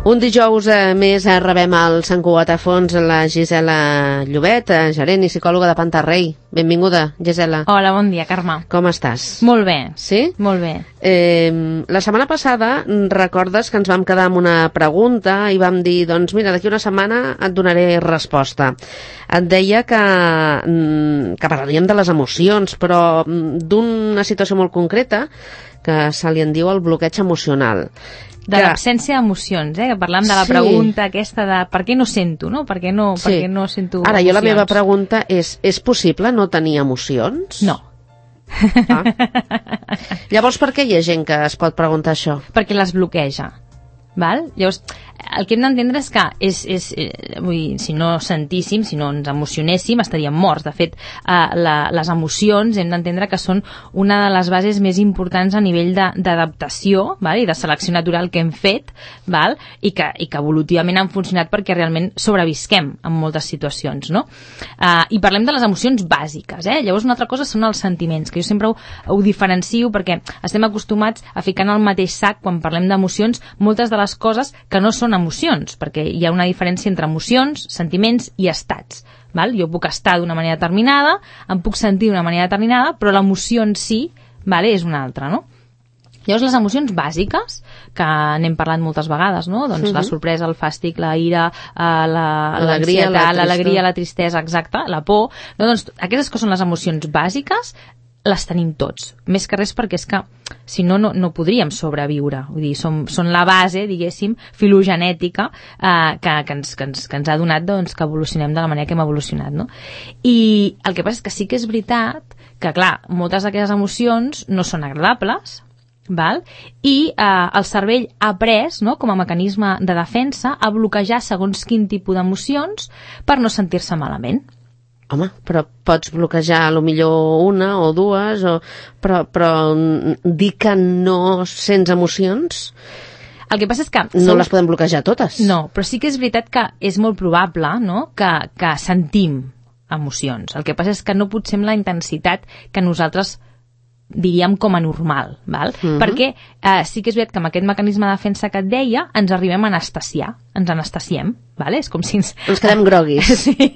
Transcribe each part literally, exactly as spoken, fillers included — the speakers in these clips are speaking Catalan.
Un dijous eh, més eh, rebem al Sant Cugat a fons la Gisela Llobet, eh, gerent i psicòloga de Pantarrei. Benvinguda, Gisela. Hola, bon dia, Carme. Com estàs? Molt bé. Sí? Molt bé. Eh, la setmana passada recordes que ens vam quedar amb una pregunta i vam dir, doncs mira, d'aquí una setmana et donaré resposta. Et deia que, que parlaríem de les emocions, però d'una situació molt concreta que se li en diu el bloqueig emocional. De que... l'absència d'emocions, eh? Que parlam de la sí. pregunta aquesta de per què no sento, no? Per què no, sí. per què no sento Ara, emocions? Jo la meva pregunta és, és possible no tenir emocions? No. Ah. Llavors, per què hi ha gent que es pot preguntar això? Perquè les bloqueja. Val? Llavors, el que hem d'entendre és que és, és, eh, vull dir, si no sentíssim, si no ens emocionéssim, estaríem morts. De fet, eh, la, les emocions hem d'entendre que són una de les bases més importants a nivell d'adaptació i de selecció natural que hem fet, val? I, que, i que evolutivament han funcionat perquè realment sobrevisquem en moltes situacions. No? Eh, I parlem de les emocions bàsiques. Eh? Llavors, una altra cosa són els sentiments, que jo sempre ho, ho diferencio perquè estem acostumats a ficar en el mateix sac, quan parlem d'emocions, moltes de les coses que no són emocions, perquè hi ha una diferència entre emocions, sentiments i estats. Val? Jo puc estar d'una manera determinada, em puc sentir d'una manera determinada, però l'emoció en si, vale, és una altra, no? Llavors, les emocions bàsiques, que n'hem parlat moltes vegades, no? Doncs uh-huh. la sorpresa, el fàstic, la ira, l'alegria, la, l'alegria, la tristesa, exacte, la por. No? Doncs aquestes que són les emocions bàsiques, les tenim tots. Més que res perquè és que, si no, no, no podríem sobreviure. Vull dir, som, són la base, diguéssim, filogenètica eh, que, que, ens, que, ens, que ens ha donat doncs, que evolucionem de la manera que hem evolucionat. No? I el que passa és que sí que és veritat que, clar, moltes d'aquestes emocions no són agradables, val? I eh, el cervell ha après, no, com a mecanisme de defensa, a bloquejar segons quin tipus d'emocions per no sentir-se malament. Home, però pots bloquejar a lo millor una o dues, o... però, però dir que no sents emocions... El que passa és que... No som... les podem bloquejar totes. No, però sí que és veritat que és molt probable, no?, que, que sentim emocions. El que passa és que no potser amb la intensitat que nosaltres diríem com a normal, val? Uh-huh. Perquè eh, sí que és veritat que amb aquest mecanisme de defensa que et deia ens arribem a anestesiar, ens anestesiem, vale? És com si ens... Ens quedem groguis. Sí,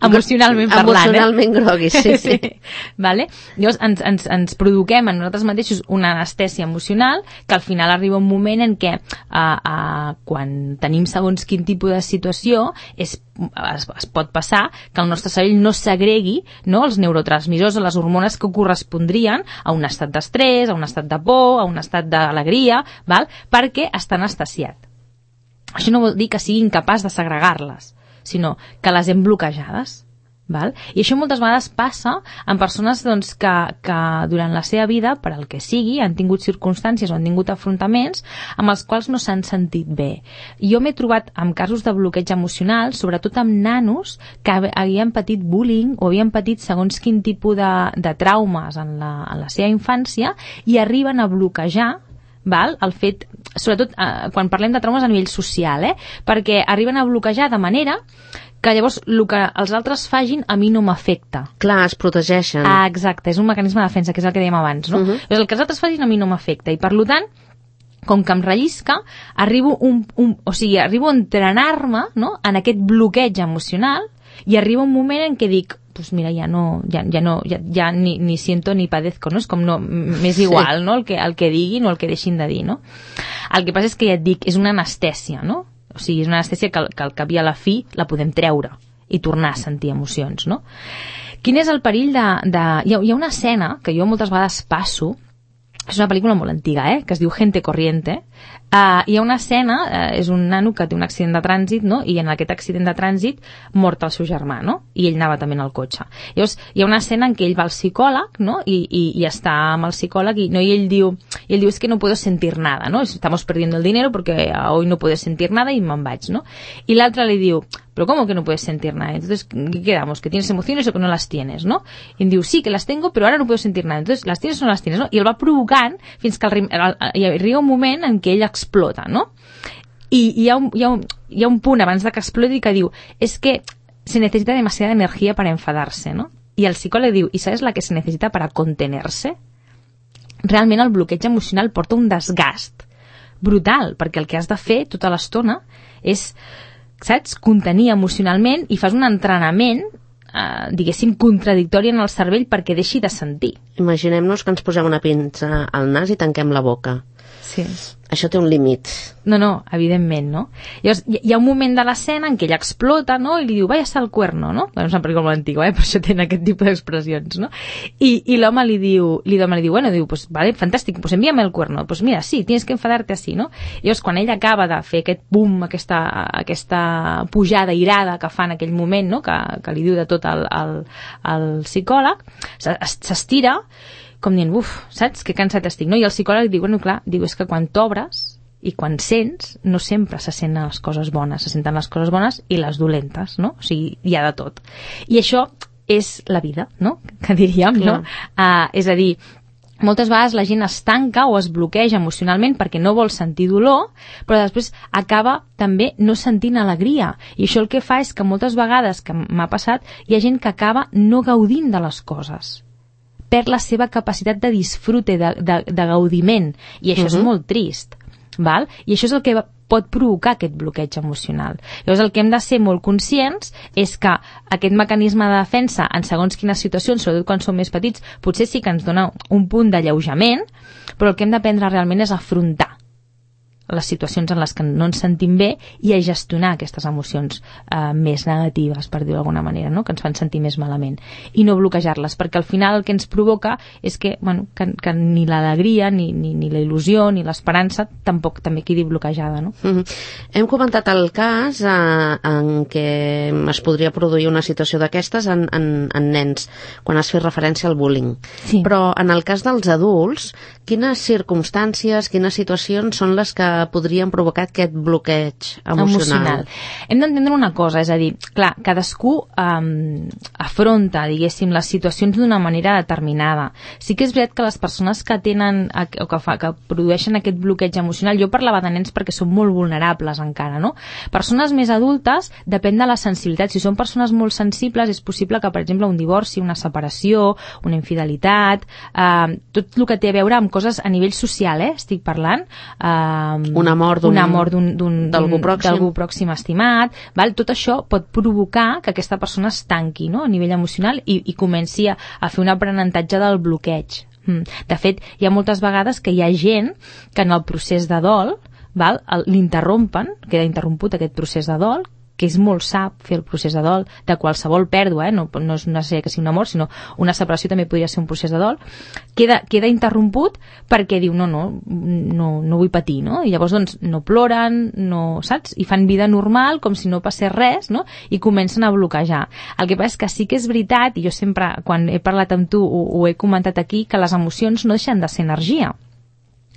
emocionalment parlant. Emocionalment eh? groguis, sí, sí. sí. Vale? Llavors ens, ens, ens provoquem a nosaltres mateixos una anestèsia emocional que al final arriba un moment en què uh, uh, quan tenim segons quin tipus de situació és, es, es pot passar que el nostre cervell no segregui, no, els neurotransmissors o les hormones que correspondrien a un estat d'estrès, a un estat de por, a un estat d'alegria, val? Perquè està anestesiat. Això no vol dir que sigui incapaç de segregar-les, sinó que les hem bloquejades. Val? I això moltes vegades passa en persones doncs, que, que durant la seva vida, per al que sigui, han tingut circumstàncies o han tingut afrontaments amb els quals no s'han sentit bé. Jo m'he trobat amb casos de bloqueig emocional, sobretot amb nanos que havien patit bullying o havien patit segons quin tipus de, de traumes en la, en la seva infància i arriben a bloquejar, val? El fet, sobretot eh, quan parlem de traumes a nivell social, eh? Perquè arriben a bloquejar de manera que llavors el que els altres fagin a mi no m'afecta. Clar, es protegeixen. Ah, exacte, és un mecanisme de defensa, que és el que dèiem abans, no? Uh-huh. Llavors, el que els altres fagin a mi no m'afecta, i per tant, com que em rellisca, arribo, un, un, o sigui, arribo a entrenar-me, no?, en aquest bloqueig emocional, i arriba un moment en què dic, pues mira, ja no, ja, ja no, ja, ja ni, ni siento ni padezco, no? És com no, m'és igual, sí. No?, el que, el que diguin o el que deixin de dir, no? El que passa és que ja et dic, és una anestèsia, no? O sigui, és una anestèsia que, que al cap i a la fi la podem treure i tornar a sentir emocions, no? Quin és el perill de... de... Hi ha, hi ha una escena que jo moltes vegades passo, és una pel·lícula molt antiga, eh?, que es diu Gente Corriente. Uh, hi ha una escena, uh, és un nano que té un accident de trànsit, no?, i en aquest accident de trànsit mort el seu germà, no?, i ell anava també en el cotxe. Llavors, hi ha una escena en què ell va al psicòleg, no?, i, i, i està amb el psicòleg, i, no, i ell diu, i ell diu, es que no puedo sentir nada, no?, estamos perdiendo el dinero porque hoy no puedo sentir nada i me'n vaig, no?, i l'altre li diu, pero ¿cómo que no puedes sentir nada? Entonces, ¿qué quedamos? ¿Que tienes emociones o que no las tienes, no? I em diu, sí, que las tengo, pero ahora no puedo sentir nada. Entonces, ¿las tienes o no las tienes, no? I el va provocant fins que el, el, hi arriba un moment en què ell explota, no? I, i hi, ha un, hi, ha un, hi ha un punt abans de que exploti que diu, es que se necesita demasiada energía para enfadarse, no? I el psicòleg diu, ¿y sabes la que se necesita para contenerse? Realment el bloqueig emocional porta un desgast brutal, perquè el que has de fer tota l'estona és, saps, contenir emocionalment i fas un entrenament eh, diguéssim, contradictori en el cervell perquè deixi de sentir. Imaginem-nos que ens posem una pinça al nas i tanquem la boca. Sí. Això té un límit. No, no, evidentment, no? Llavors, hi ha un moment de l'escena en què ella explota, no?, i li diu, vaya al cuerno, no? Bueno, és una pel·lícula antiga, eh? Per això tenen aquest tipus d'expressions, no? I, i l'home li diu, l'home li diu, bueno, diu, pues vale, fantàstic, pues envíame el cuerno. Pues mira, sí, tienes que enfadarte así, no? I llavors, quan ella acaba de fer aquest boom, aquesta, aquesta pujada irada que fa en aquell moment, no?, que, que li diu de tot al, al, al psicòleg, s'estira, com dient, uf, saps, que cansat estic, no? I el psicòleg diu, bueno, clar, diu, és que quan t'obres i quan sents, no sempre se senten les coses bones, se senten les coses bones i les dolentes, no? O sigui, hi ha de tot. I això és la vida, no?, que diríem, no? Uh, és a dir, moltes vegades la gent es tanca o es bloqueja emocionalment perquè no vol sentir dolor, però després acaba també no sentint alegria. I això el que fa és que moltes vegades, que m'ha passat, hi ha gent que acaba no gaudint de les coses, perd la seva capacitat de disfrute, de, de, de gaudiment, i això uh-huh. és molt trist, val? I això és el que pot provocar aquest bloqueig emocional. Llavors el que hem de ser molt conscients és que aquest mecanisme de defensa en segons quines situacions, sobretot quan som més petits, potser sí que ens dona un punt d'alleujament, però el que hem d'aprendre realment és afrontar les situacions en les que no ens sentim bé i a gestionar aquestes emocions eh, més negatives, per dir-ho d'alguna manera, no?, que ens fan sentir més malament, i no bloquejar-les, perquè al final el que ens provoca és que, bueno, que, que ni l'alegria, ni, ni, ni la il·lusió, ni l'esperança tampoc també quedi bloquejada, no? Mm-hmm. Hem comentat el cas eh, en què es podria produir una situació d'aquestes en, en, en nens, quan has fet referència al bullying. Sí. Però en el cas dels adults, quines circumstàncies, quines situacions són les que podrien provocar aquest bloqueig emocional? emocional. Hem d'entendre una cosa, és a dir, clar, cadascú um, afronta, diguéssim, les situacions d'una manera determinada. Sí que és veritat que les persones que tenen o que, fa, que produeixen aquest bloqueig emocional, jo parlava de nens perquè són molt vulnerables encara, no? Persones més adultes, depèn de la sensibilitat. Si són persones molt sensibles, és possible que, per exemple, un divorci, una separació, una infidelitat, eh, tot el que té a veure amb coses a nivell social, eh, estic parlant, eh, una mort d'algú pròxim. pròxim estimat, val? Tot això pot provocar que aquesta persona es tanqui, no?, a nivell emocional i, i comenci a, a fer un aprenentatge del bloqueig. De fet, hi ha moltes vegades que hi ha gent que en el procés de dol, val, l'interrompen, queda interromput aquest procés de dol, que és molt sa fer el procés de dol de qualsevol pèrdua, eh? no, no és necessari que sigui una mort, sinó una separació també podria ser un procés de dol, queda, queda interromput perquè diu, no, no, no, no vull patir, no? I llavors doncs no ploren, no, saps? I fan vida normal com si no passés res, no? I comencen a bloquejar. El que passa és que sí que és veritat, i jo sempre, quan he parlat amb tu, ho, ho he comentat aquí, que les emocions no deixen de ser energia.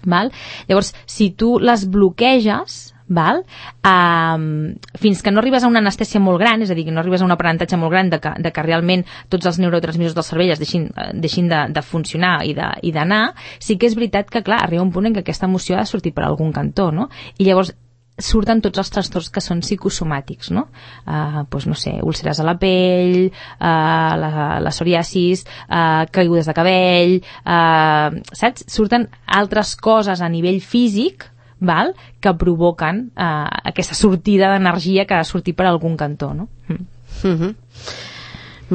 Val? Llavors, si tu les bloqueges, val? Um, fins que no arribes a una anestèsia molt gran, és a dir, que no arribes a un aprenentatge molt gran de que, de que realment tots els neurotransmissors del cervell es deixin, deixin de, de funcionar i d'anar, sí que és veritat que, clar, arriba un punt en què aquesta emoció ha de sortir per algun cantó, no? I llavors surten tots els trastorns que són psicosomàtics, no? Uh, doncs no sé, úlceres a la pell, uh, la, la psoriasis, uh, caigudes de cabell, uh, saps? Surten altres coses a nivell físic, val? Que provoquen uh, aquesta sortida d'energia que ha de sortir per algun cantó, no? Mm. Mm-hmm.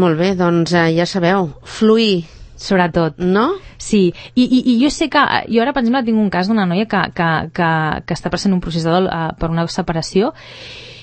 Molt bé, doncs uh, ja sabeu, fluir, sobretot. No? Sí, I, i, i jo sé que, jo ara per exemple tinc un cas d'una noia que, que, que, que està passant un procés de dol uh, per una separació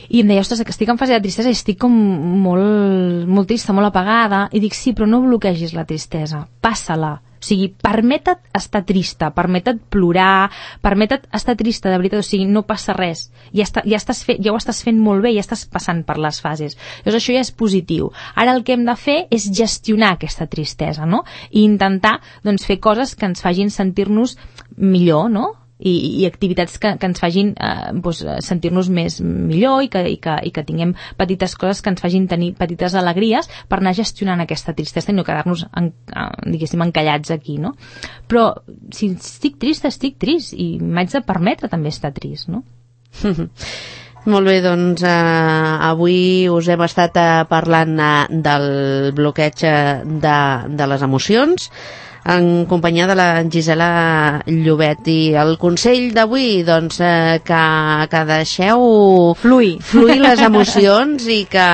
i em deia, ostres, que estic en fase de tristesa i estic com molt, molt trista, molt apagada, i dic, sí, però no bloquegis la tristesa, passa-la. O sigui, permeta't estar trista, permeta't plorar, permeta't estar trista, de veritat, o sigui, no passa res. Ja, està, ja, estàs fe, ja ho estàs fent molt bé, ja estàs passant per les fases. Llavors això ja és positiu. Ara el que hem de fer és gestionar aquesta tristesa, no? I intentar, doncs, fer coses que ens facin sentir-nos millor, no? I, i activitats que, que ens facin eh, doncs, sentir-nos més millor i que, i, que, i que tinguem petites coses que ens facin tenir petites alegries per anar gestionant aquesta tristesa i no quedar-nos en, diguéssim encallats aquí, no? Però si estic trista, estic trist i m'haig de permetre també estar trist, no? Molt bé, doncs eh, avui us hem estat eh, parlant eh, del bloqueig de, de les emocions. en companyia de la Gisela Llobet. I el consell d'avui, doncs, eh, que, que deixeu fluir. fluir les emocions i que,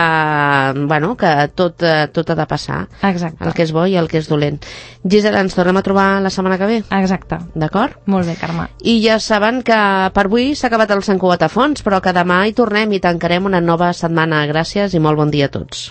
bueno, que tot, tot ha de passar. Exacte. El que és bo i el que és dolent. Gisela, ens tornem a trobar la setmana que ve? Exacte. D'acord? Molt bé, Carme. I ja saben que per avui s'ha acabat el Sant Cugat a fons, però que demà hi tornem i tancarem una nova setmana. Gràcies i molt bon dia a tots.